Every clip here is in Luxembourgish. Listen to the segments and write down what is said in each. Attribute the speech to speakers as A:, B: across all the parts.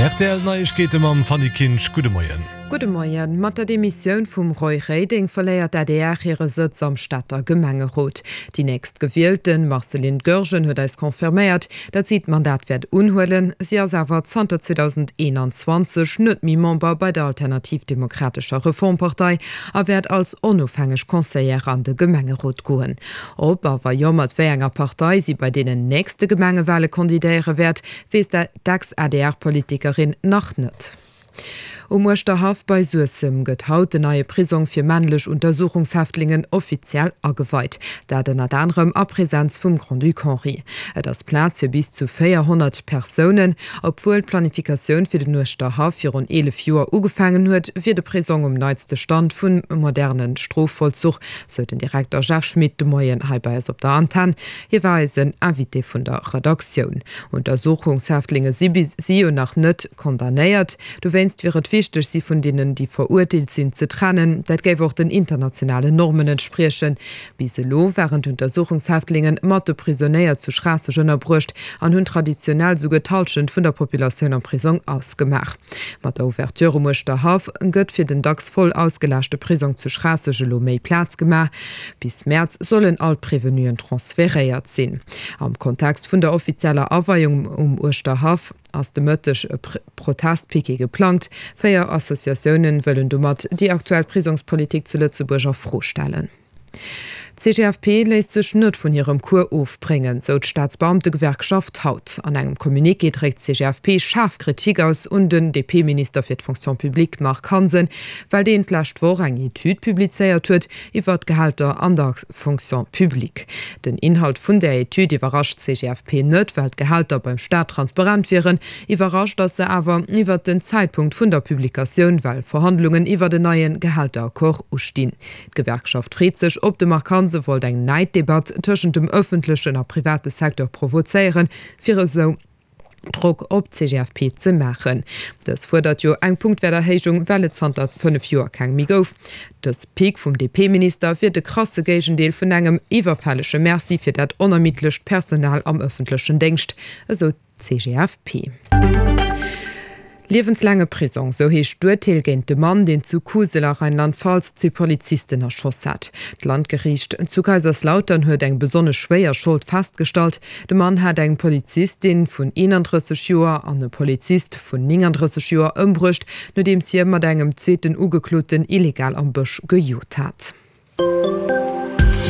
A: Rtl Neiegkeete mam Fanny Kinsch. Gudde Moien.
B: Gudde Moien. Mat der Demissioun vum Roy Reding verléiert d'ADR hire Sëtz am Stater Gemengerot. Déi nächst Gewielten, Marceline Goergen, huet eis confirméiert, datt si d'Mandat wäert unhuelen. Si ass awer zanter 2021 net méi Member bei der Alternativ Demokratescher Reformpartei a wäert als onofhängeg Conseillère an de Gemengerot goen. Ob a wa jo, mat wéi enger Partei si bei deenen nächste Gemengewale kandidéiere wäert, weess d'Ex-ADR-Politikerin nach net. Um Uerschterhaff bei Suessem gëtt haut den neie Prisong fir männlech Untersuchungshäftlingen offiziell ageweit. Dat ënnert anerem a Presenz vum Grand-Duc Henri. Et ass Plaz fir bis zu 400 Persounen. Obwuel d'Planifikatioun fir den Uerschterhaff virun 11 Joer ugefaangen huet, wier de Prisong um neitste Stand vum moderne Strofvollzuch, sou den Direkter Jeff Schmit de Moien hei bei eis op der Antenn. Hie war eisen Invité vun der Redaktioun. Untersuchungshäftlinge si bis si jo nach net condamnéiert. Dowéinst wier et wichteg, si vun deenen, déi verurteelt sinn, ze trennen. Dat géif och den internationalen Normen entspriechen. Bis elo waren d'Untersuchungshäftlingen mat de Prisonéier zu Schraasseg ënnerbruecht an hunn traditionell souguer d'Hallschent vun der Populatioun am Prisong ausgemaach. Mat der Ouverture um Uerschterhaff gëtt fir den dacks voll ausgelaaschte Prisong zu Schraasseg elo méi Plaz gemaach. Bis Mäerz sollen all d'Prevenuen transferéiert sinn. Am Kontext vun der offizieller Aweiung um Uerschterhaff ass de Mëtteg e Protestpiquet geplangt. 4 Associatiounen wëllen domat déi aktuell Prisongspolitik zu Lëtzebuerg a Fro stellen. D'CGFP léisst sech net vun hirem Cours ofbréngen, sou d'Staatsbeamtegewerkschaft haut. An engem Communiqué dréckt d'CGFP schaarf Kritik aus un den DP-Minister fir d'Fonction publique Marc Hansen, well deen d'lescht Woch eng Etüd publizéiert huet, iwwer d'Gehälter an der Fonction publique. Den Inhalt vun där Etüd iwwerrascht d'CGFP net, well d'Gehälter beim Staat transparent wieren. Iwwerrascht ass se awer iwwer den Zäitpunkt vun der Publikatioun, well Verhandlungen iwwer en neie Gehälteraccord ustinn. D'Gewerkschaft freet sech, ob de Marc Hansen wollt eng Näiddebatt tëschent dem ëffentlechen a private Secteur provozéieren, fir esou Drock op d'CGFP ze maachen. Dës fuerdert jo eng Punktwäerterhéijung, well et zanter 5 Joer keng méi gouf. Dës Pic vum DP-Minister wier de krasse Géigendeel vun engem iwwerfällege Merci fir dat onermiddlecht Personal am ëffentlechen Déngscht, esou d'CGFP. Liewenslaange Prisong, sou heescht d'Urteel géint de Mann, deen zu Kusel a Rheinland-Pfalz zwee Polizisten erschoss hat. D'Landgeriicht zu Kaiserslautern huet eng besonnesch schwéier Schold festgestallt. De Mann hat eng Polizistin vun 31 Joer an e Polizist vun 39 Joer ëmbruecht, nodeems hie mat engem zweeten Ugekloten illegal am Bësch gejot hat.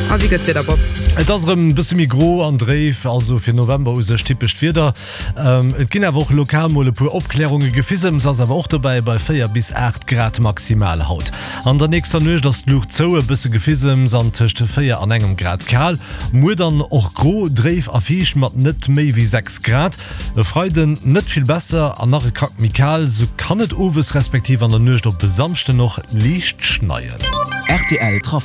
B: A wéi gëtt d'Wieder, Bob?
A: Et ass erëm e bësse méi gro an dréif, also fir November u sech typescht Wieder. Et ginn awer och lokal mol e puer Opklärunge. Gefissems ass awer och dobäi bei 4 bis 8 Grad maximal haut. An der nächster Nuecht ass d'Luucht zou, e bësse Gefissems an tëscht 4 an engem Grad kal. Muer dann och gro, dréif a fiicht mat net méi wéi 6 Grad. E Freiden net vill besser an nach e Krack méi kal, sou kann et owes respektiv an der Nuecht op e Samschden och liicht schneien.
C: Rtl Trafic.